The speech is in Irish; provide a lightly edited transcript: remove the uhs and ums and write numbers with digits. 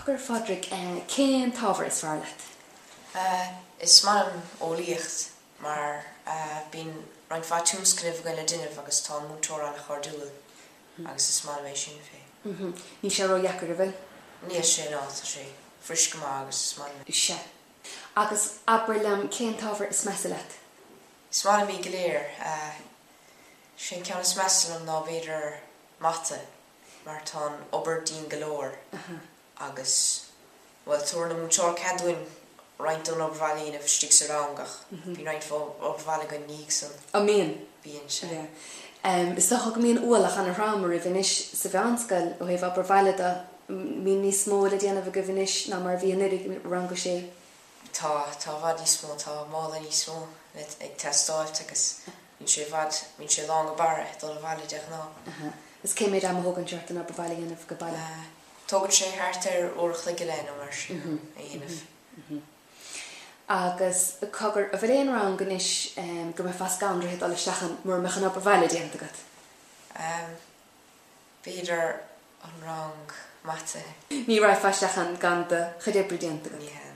Cogar, a Phádraig, cén t-ábhar is fearr leat? Is maith liom eolaíocht mar bíonn roinnt mhaith tionscnaimh againn le déanamh agus tá an múinteoir an-chairdiúil agus is maith liom é sin fé. Níl sé ró-dheacair, an bhfuil? Níl sé, ná, tá sé fuirist go maith agus is maith liom é. Sea. Agus abair liom, cén t-ábhar is measa leat? Is maith liom iad go léir. Sé an ceann is measa liom ná b'fhéidir mata. mar tá an obair dian go leor agus, bhuel, tabharann an múinteoir cead dúinn roinnt den obair bhaile a dhéanamh istigh sa rang ach bíonn roinnt obair bhaile againn ina dhiaidh san. An mbíonn? Bíonn, sea. Yeah. Is dócha go mbíonn ualach an-throm oraibh anois sa mheánscoil ó thaobh obair bhaile de. Mbíonn níos mó le déanamh agaibh anois ná mar a bhí anuraidh i rang a sé? Tá, tá i bhfad níos mó, tá mála níos mó le, ag teastáilt agus bíonn sé i bhfad, bíonn sé lán go barra ag dul abhaile de ghnáth. Aha. Is cé méid ama a thógann sé ort an obair bhaile a dhéanamh go baile? Tógann sé thart ar uair a chloig go leith nó mar sin a dhéanamh. Agus cogar, an bhfuil aon rang anois go mbeifeá scanraithe dul isteach ann mura mbeadh an obair bhaile déanta agat? B'fhéidir an rang mata. Ní raghfá isteach ann gan do chuid oibre déanta agat? Ní hea.